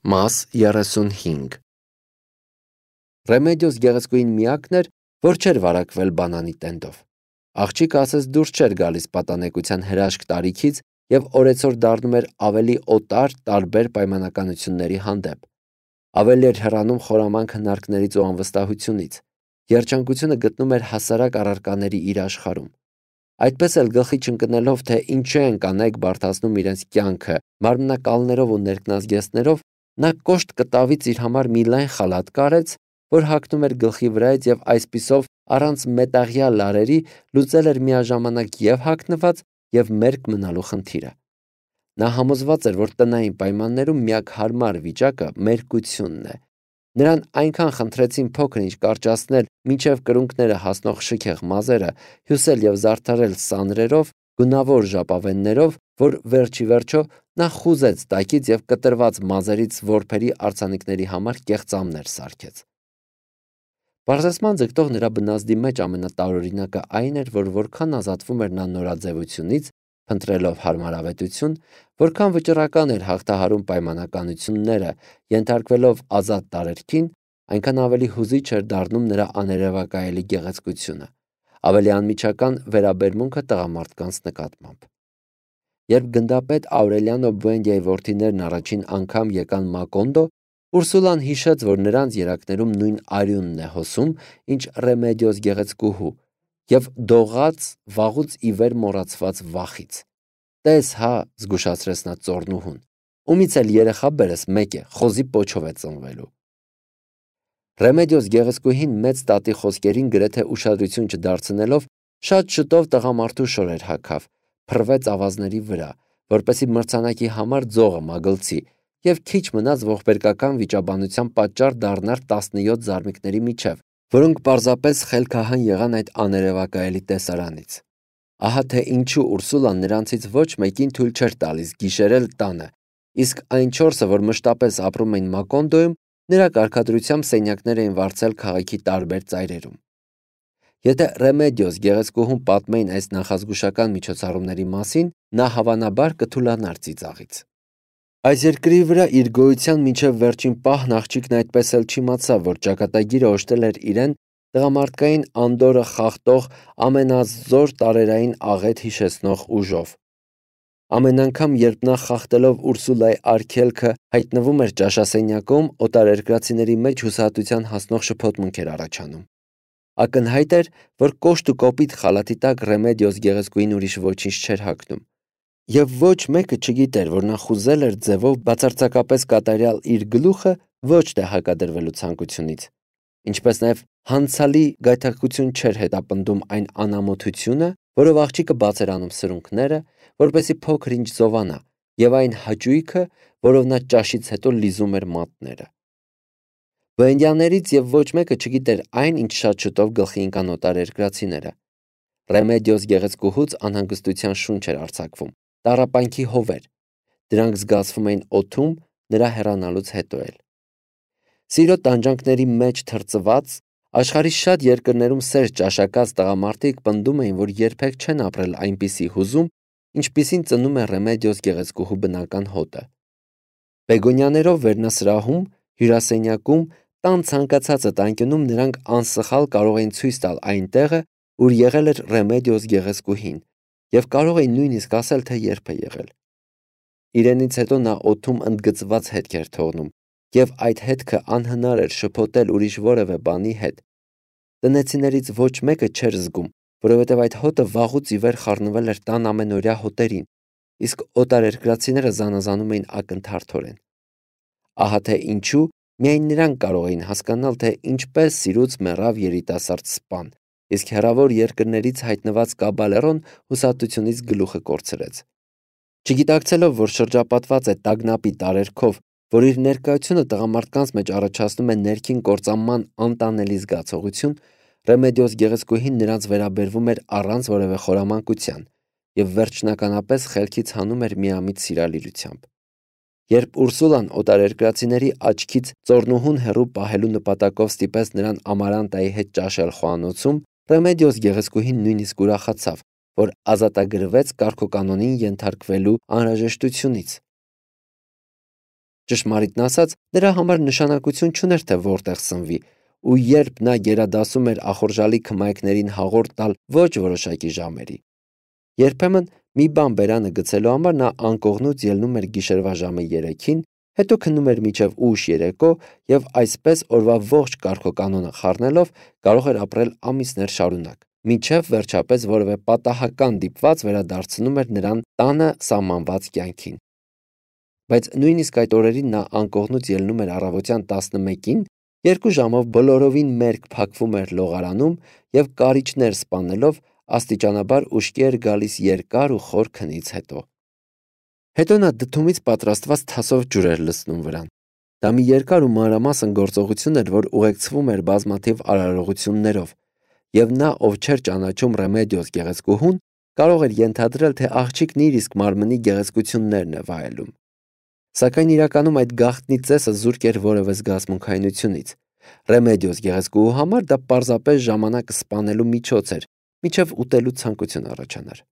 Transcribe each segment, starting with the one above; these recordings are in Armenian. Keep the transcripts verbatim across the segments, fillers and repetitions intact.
Մաս երեսունհինգ Ռեմեդիոս գեղեցկուհին միակն էր, որ չէր վարակվել բանանի տենդով։ Աղջիկը ասես դուրս չէր գալիս պատանեկության հրաշք տարիքից և օրեցօր դառնում էր ավելի օտար տարբեր պայմանականությունների հանդեպ։ Ավելի էր հեռանում խորամանկ հնարքներից ու անվստահությունից։ Երջանկությունը գտնում էր հասարակ առարկաների իր աշխարհում։ Այդպես էլ գլխի չընկնելով, թե ինչու են կանայք բարդացնում իրենց կյանքը մարմնակալներով ու ներքնազգեստներով, նա կոշտ կտավից իր համար մի լայն խալաթ կարեց, որ հագնում էր գլխի վրայից և այսպիսով առանց մետաղյա լարերի լուծել էր միաժամանակ և հագնված և մերկ մնալու խնդիրը։ Նա համոզված էր, որ տնային պայմաններում միակ հարմար վիճակը մերկությունն է։ Նրան այնքան խնդրեցին փոքր-ինչ կարճացնել մինչև կրունկները հասնող շքեղ մազերը, հյուսել և զարդարել սանրերով, գունավոր ժապավեններով, որ վերջիվերջո նա խուզեց տակից և կտրված մազերից որբերի արձանիկների համար կեղծամներ սարքեց։ Պարզեցման ձգտող նրա բնազդի մեջ ամենատարօրինակը այն էր, որ որքան ազատվում էր նա նորաձևությունից, փնտրելով հարմարավետություն, որքան վճռական էր հաղթահարում պայմանականությունները, ենթարկվելով ազատ տարերքին, այնքան ավելի հուզիչ էր դառնում նրա աներևակայելի գեղեցկությունը, ավելի անմիջական վերաբերմունքը տղամարդկանց նկատմամբ։ Երբ գնդապետ Աուրելիանո Բուենդիայի որդիներն առաջին անգամ եկան Մակոնդո, Ուրսուլան հիշեց, որ նրանց երակներում նույն արյունն է հոսում, ինչ Ռեմեդիոս գեղեցկուհու, և դողաց, վաղուց ի վեր մոռացված վախից։ «Տես հա», զգուշացրեց նա ծոռնուհուն, «ումից էլ երեխա բերես մեկ է, խոզի պոչով է ծնվելու»։ Ռեմեդիոս գեղեցկուհին մեծ տատի խոսքերին գրեթե ուշադրություն չդարձնելով, շատ շուտով տղամարդու շորեր հագավ, փռվեց ավազների վրա, որպեսզի մրցանակի համար ձողը մագլցի, և քիչ մնաց ողբերգական վիճաբանության պատճառ դառնար տասնյոթ զարմիկների միջև, որոնք պարզապես խելքահան եղան այդ աներևակայելի տեսարանից։ Ահա թե ինչու Ուրսուլան նրանցից ոչ մեկին թույլ չէր տալիս գիշերել տանը, իսկ այն չորսը, որ մշտապես ապրում էին Մակոնդոյում, նրա կարգադրությամբ սենյակներ էին վարձել քաղաքի տարբեր ծայրերում։ Եթե Ռեմեդիոս գեղեցկուհուն պատմեին այս նախազգուշական միջոցառումների մասին, նա հավանաբար կթուլանար ծիծաղից։ Այս երկրի վրա իր գոյության մինչև վերջին պահն աղջիկն այդպես էլ չիմացավ, որ ճակատագիրը օժտել էր իրեն տղամարդկային անդորրը խախտող ամենազոր տարերային աղետ հիշեցնող ուժով։ Ամեն անգամ, երբ նա խախտելով Ուրսուլայի արգելքը հայտնվում էր ճաշասենյակում, օտարերկրացիների մեջ հուսահատության հասնող շփոթմունք էր առաջանում։ Ակնհայտ էր, որ կոշտ ու կոպիտ խալաթի տակ Ռեմեդիոս գեղեցկուհին ուրիշ ոչինչ չէր հագնում։ Եվ ոչ մեկը չգիտեր, որ նա խուզել էր ձևով բացարձակապես կատարյալ իր գլուխը ոչ թե հակադրվելու ցանկությունից, ինչպես նաև հանցալի գայթակղություն չէր հետապնդում այն անամոթությունը, որով աղջիկը բաց էր անում սրունքները, որպեսզի փոքր-ինչ զովանա, և այն հաճույքը, որով նա ճաշից հետո լիզում էր մատները։ Բուենդիաներից և ոչ մեկը չգիտեր այն, ինչ շատ շուտով գլխի ընկան օտարերկրացիները։ Ռեմեդիոս գեղեցկուհուց անհանգստության շունչ էր արձակվում, տառապանքի հովեր։ Դրանք զգացվում էին օդում նրա հեռանալուց հետո էլ։ Սիրո տանջանքների մեջ թրծված, աշխարհի շատ երկրներում սեր ճաշակած տղամարդիկ պնդում էին, որ երբեք չեն ապրել այնպիսի հուզում, ինչպիսին ծնում է Ռեմեդիոս գեղեցկուհու բնական հոտը։ Բեգոնյաներով վերնասրահում, հյուրասենյակում, տան ցանկացած ըտանկյունում նրանք անսխալ կարող էին ցույց տալ այն տեղը, ուր եղել էր Ռեմեդիոս գեղեցկուհին, և կարող էին նույնիսկ ասել, թե երբ է եղել։ Իրենից հետո նա օդում ընդգծված հետք էր թողնում, և այդ հետքը անհնար էր շփոթել ուրիշ որևէ բանի հետ։ Տնեցիներից ոչ մեկը չէր զգում, որովհետև այդ հոտը վաղուց ի վեր խառնվել էր տան ամենօրյա հոտերին, իսկ օտարերկրացիները զանազանում էին ակնթարթորեն։ Ահա թե ինչու միայն նրանք կարող էին հասկանալ, թե ինչպես սիրուց մեռավ երիտասարդ սպան, իսկ հեռավոր երկրներից հայտնված կաբալերոն հուսահատությունից գլուխը կորցրեց։ Չգիտակցելով, որ շրջապատված է տագնապի տարերքով, որ իր ներկայությունը տղամարդկանց մեջ առաջացնում է ներքին կործանման անտանելի զգացողություն, Ռեմեդիոս գեղեցկուհին նրանց վերաբերվում էր առանց որևէ խորամանկության և վերջնականապես խելքից հանում էր միամիտ սիրալիրությամբ։ Երբ Ուրսուլան օտարերկրացիների աչքից ծոռնուհուն հեռու պահելու նպատակով ստիպեց նրան Ամարանտայի հետ ճաշել խոհանոցում, Ռեմեդիոս գեղեցկուհին նույնիսկ ուրախացավ, որ ազատագրվեց կարգուկանոնին ենթարկվելու անհրաժեշտությունից։ Ճշմարիտն ասած, նրա համար նշանակություն չուներ, թե որտեղ սնվի, ու երբ նա գերադասում էր ախորժալի քմայքներին հաղորդ տալ ոչ որոշակի ժամերի։ Երբեմն մի բան բերանը գցելու համար նա անկողնուց ելնում էր գիշերվա ժամը երեքին, հետո քնում էր մինչև ուշ երեկո եւ այսպես օրվա ողջ կարգոկանոնը խառնելով կարող էր ապրել ամիսներ շարունակ, մինչև վերջապես որևէ պատահական դիպված վերադարձնում էր նրան տանը սահմանված կյանքին։ Բայց նույնիսկ այդ օրերին նա անկողնուց ելնում էր առավոտյան տասնմեկին, երկու ժամով բոլորովին մերկ փակվում էր լողարանում եւ կարիճներ սպանելով աստիճանաբար ուշքի էր գալիս երկար ու խոր քնից հետո։ Հետո նա դդումից պատրաստված թասով ջուր էր լցնում վրան։ Դա մի երկար ու մանրամասն գործողություն էր, որ ուղեկցվում էր բազմաթիվ արարողություններով, եւ նա, ով չէր ճանաչում Ռեմեդիոս գեղեցկուհուն, կարող էր ենթադրել, թե աղջիկն իր իսկ մարմնի գեղեցկություններն է վայելում։ Սակայն իրականում այդ գաղտնի ծեսը զուրկ էր որևէ զգացմունքայնությունից։ Ռեմեդիոս գեղեցկուհու համար դա պարզապես ժամանակը սպանելու միջոց էր, մինչև ուտելու ցանկություն առաջանար։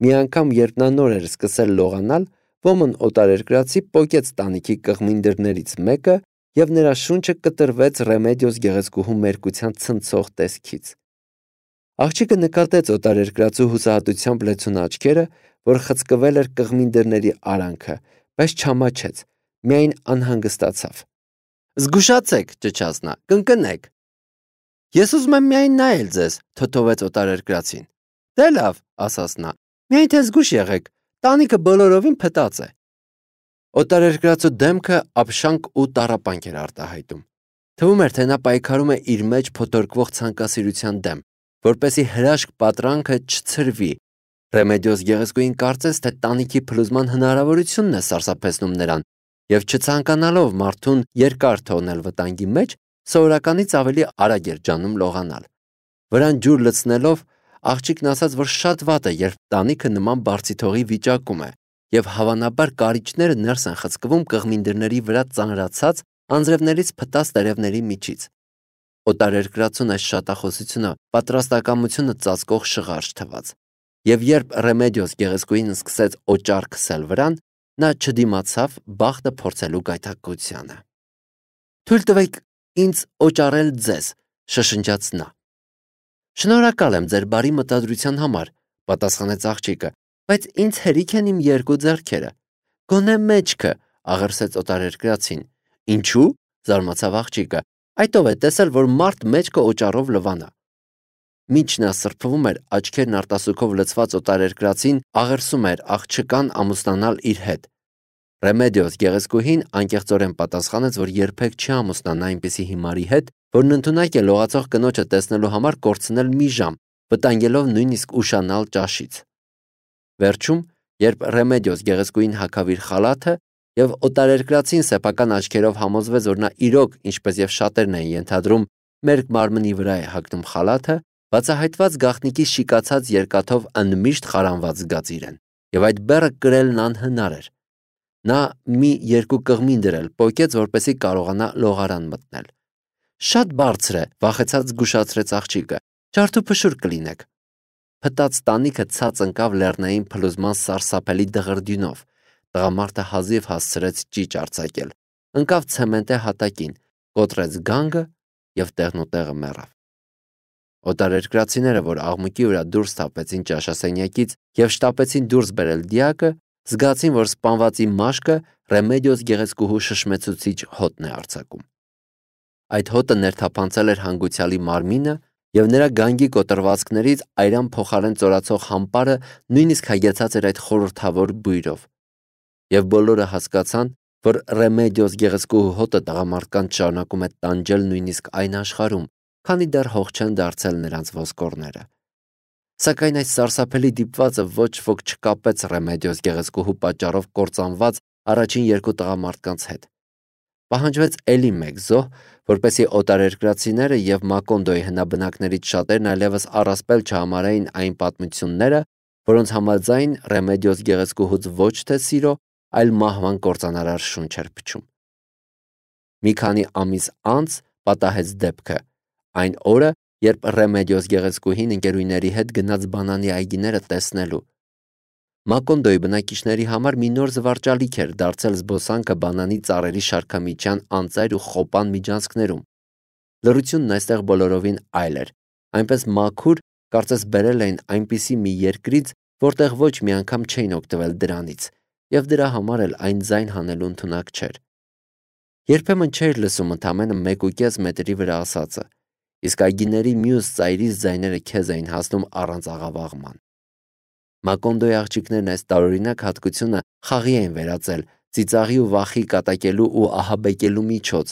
Մի անգամ, երբ նա նոր էր սկսել լողանալ, ոմն օտարերկրացի պոկեց տանիքի կղմին դռներից մեկը եւ նրա շունչը կտրվեց Ռեմեդիոս գեղեցկուհու մերկության ցնցող տեսքից։ Աղջիկը նկատեց օտարերկրացու հուսահատությամբ լեցուն աչքերը, որ խցկվել էր կղմին դռների արանքը, բայց չամաչեց, միայն անհանգստացավ։ «Զգուշացեք», ճչաց նա, «կընկնեք»։ «Ես ուզում եմ միայն նայել ձեզ», թոթովեց օտարերկրացին։ «Դե լավ», ասաց նա, «միայն թե զգույշ եղեք, տանիքը բոլորովին փտած է»։ Օտարերկրացու դեմքը ապշանք ու տառապանք էր արտահայտում։ Թվում էր, թե նա պայքարում է իր մեջ փոթորկվող ցանկասիրության դեմ, որպեսզի հրաշք պատրանքը չցրվի։ Ռեմեդիոս գեղեցկուհին կարծեց, թե տանիքի փլուզման հնարավորությունն է սարսափեցնում նրան, եւ չցանկանալով մարդուն երկար թողնել վտանգի մեջ, սովորականից ավելի արագ էր ջանում լողանալ։ Վրան ջուր լցնելով աղջիկն ասաց, որ շատ վատ է, երբ տանիքը նման բարձիթողի վիճակում է, եւ հավանաբար կարիճները ներս են խցկվում կղմին դռների վրա ծանրացած անձրևներից փտած տերևների միջից։ Օտարերկրացուն այս շատախոսությունը պատրաստակամությունը ծածկող շղարջ թվաց, եւ երբ Ռեմեդիոս գեղեցկուհին սկսեց օճառ քսել վրան, նա չդիմացավ բախտը փորձելու գայթակղությանը։ «Թույլ տվեք ինձ օճառել ձեզ», շշնջաց նա։ «Շնորհակալ եմ ձեր բարի մտադրության համար», պատասխանեց աղջիկը, «բայց ինձ հերիք են իմ երկու ձեռքերը»։ «Գոնե մեջքը», աղերսեց օտարերկրացին։ «Ինչու՞», զարմացավ աղջիկը։ «Այդ ով է տեսել, որ մարդ մեջքը օճառով լվանա»։ Մինչ նա սրբվում էր, աչքերն արտասուքով լցված օտարերկրացին աղերսում էր աղջկան ամուսնանալ իր հետ։ Ռեմեդիոս գեղեցկուհին անկեղծորեն պատասխանեց, որ երբեք չի ամուսնանա այնպիսի հիմարի հետ, որն ընդունակ է լողացող կնոջը տեսնելու համար կորցնել մի ժամ, վտանգելով նույնիսկ ուշանալ ճաշից։ Վերջում, երբ Ռեմեդիոս գեղեցկուհին հագավ իր խալաթը եւ օտարերկրացին սեփական աչքերով համոզվեց, որ նա իրոք, ինչպես եւ շատերն են ենթադրում, մերկ մարմնի վրա է հագնում խալաթը, բացահայտված գաղտնիքի շիկացած երկաթով ընդմիշտ խարանված զգաց իրեն, եւ այդ բեռը կրելն անհնար էր։ Նա մի երկու կղմին դրել պոկեց, որպեսզի կարողանա լողարան մտնել։ Շատ բարձր է, վախեցած զգուշացրեց աղջիկը։ Ջարդուփշուր կլինեք։ Փտած տանիքը ցած ընկավ լեռնային փլուզման սարսափելի դղրդյունով։ Տղամարդը հազիվ հասցրեց ճիճ արձակել, ընկավ ցեմենտե հատակին, կոտրեց գանգը եւ տեղնուտեղը մեռավ։ Օտարերկրացիները, որ աղմուկի վրա դուրս թափվեցին ճաշասենյակից եւ շտապեցին դուրս բերել դիակը, զգացին, որ սպանվածի մաշկը Ռեմեդիոս գեղեցկուհու շշմեցուցիչ հոտն է արձակում։ Այդ հոտը ներթափանցել էր հանգուցյալի մարմինը եւ նրա գանգի կոտրվածքներից այրան փոխարեն ծորացող համպարը նույնիսկ հագեցած էր այդ խորհրդավոր բույրով։ Եվ բոլորը հասկացան, որ Ռեմեդիոս գեղեցկուհու հոտը տղամարդկանց շարունակում է տանջել նույնիսկ այն աշխարհում, քանի դեռ հող չեն դարձել նրանց ոսկորները։ Սակայն այս սարսափելի դիպվածը ոչ ոք չկապեց Ռեմեդիոս գեղեցկուհու պատճառով կործանված առաջին երկու տղամարդկանց հետ։ Պահանջվեց էլի մեկ զոհ, որպեսզի օտարերկրացիները եւ Մակոնդոյի հնաբնակներից շատերն այլևս առասպել չհամարային այն պատմությունները, որոնց համաձայն Ռեմեդիոս գեղեցկուհուց ոչ թե սիրո, այլ մահվան կործանարար շունչ էր փչում։ Մի քանի ամիս անց պատահեց դեպքը, այն օրը, երբ Ռեմեդիոս գեղեցկուհին ընկերուհիների հետ գնաց բանանի այգիները տեսնելու։ Մակոնդոյի բնակիչների համար մի նոր զվարճալիք էր դարձել զբոսանքը բանանի ծառերի շարքամիջյան անծայր ու խոպան միջանցքներում։ Լռությունն այստեղ բոլորովին այլ էր, այնպես մաքուր, կարծես բերել էին այնպիսի մի երկրից, որտեղ ոչ մի անգամ չէին օգտվել դրանից, եւ դրա համար էլ այն ձայն հանելու ընդունակ չէր։ Երբեմն չէր լսում ընդամենը մեկ ու կես մետրի վրա ասածը, իսկ այգիների մյուս ծայրից ձայները քեզ էին հասնում առանց աղավաղման։ Մակոնդոյի աղջիկներն այս տարօրինակ հատկությունը խաղի էին վերածել, ծիծաղի ու վախի կատակելու ու ահաբեկելու միջոց,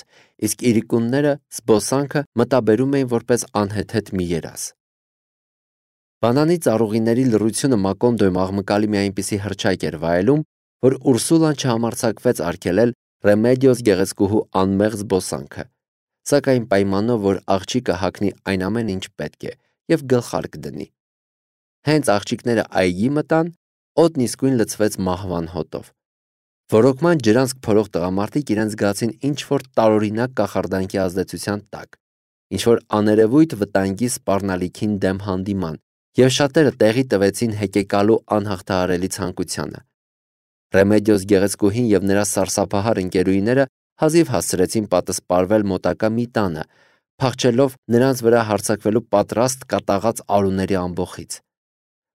իսկ իրիկունները զբոսանքը մտաբերում էին որպես անհեթեթ մի երազ։ Բանանի ծառուղիների լռությունը Մակոնդոյում աղմկալի մի այնպիսի հռչակ էր վայելում, որ Ուրսուլան չհամարձակվեց արգելել Ռեմեդիոս գեղեցկուհու անմեղ զբոսանքը, սակայն պայմանով, որ աղջիկը հագնի այն ամեն ինչ պետք է եւ գլխարկ դնի։ Հենց աղջիկները այգի մտան, օդն իսկույն լցվեց մահվան հոտով։ Ոռոգման ջրանցք փորող տղամարդիկ իրենց զգացին ինչ-որ տարօրինակ կախարդանքի ազդեցության տակ, ինչ-որ աներևույթ վտանգի սպառնալիքին դեմ հանդիման, եւ շատերը տեղի տվեցին հեկեկալու անհաղթահարելի ցանկությանը։ Ռեմեդիոս գեղեցկուհին եւ նրա սարսափահար ընկերուհիները հազիվ հասցրեցին պատսպարվել մոտակա մի տանը, փախչելով նրանց վրա հարձակվելու պատրաստ կատաղած արուների ամբոխից։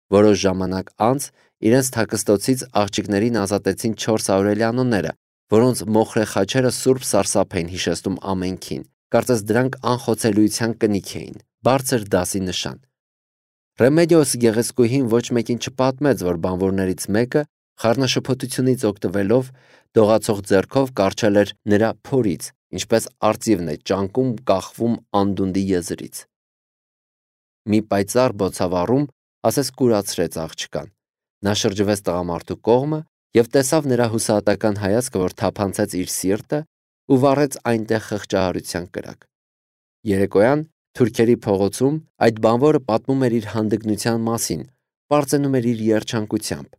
Որոշ ժամանակ անց իրենց թաքստոցից աղջիկներին ազատեցին չորս աուրելիանոները, որոնց մոխրե խաչերը սուրբ սարսափ էին հիշեցնում ամենքին, կարծես դրանք անխոցելիության կնիք էին, բարձր դասի նշան։ Ռեմեդիոս գեղեցկուհին ոչ մեկին չպատմեց, որ բանվորներից մեկը խառնաշփոթությունից օգտվելով դողացող ձեռքով կառչել էր նրա փորից, ինչպես արծիվն է ճանկում կախվում անդունդի եզրից։ Մի պայծառ բոցավառում ասես կուրացրեց աղջկան։ Նա շրջվեց տղամարդու կողմը եւ տեսավ նրա հուսահատական հայացքը, որ թափանցեց իր սիրտը ու վառեց այնտեղ խղճահարության կրակ։ Երեկոյան թուրքերի փողոցում այդ բանվորը պատմում էր իր հանդգնության մասին, պարծենում էր իր երջանկությամբ,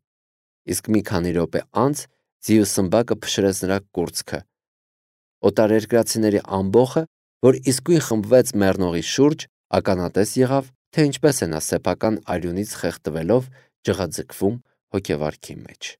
իսկ մի քանի րոպե անց ձիու սմբակը փշրեց նրա կուրծքը։ Օտարերկրացիների ամբոխը, որ իսկույն խմբվեց մեռնողի շուրջ, ականատես եղավ, թե ինչպես է նա սեփական արյունից խեղդվելով ջղաձգվում հոգեվարքի մեջ։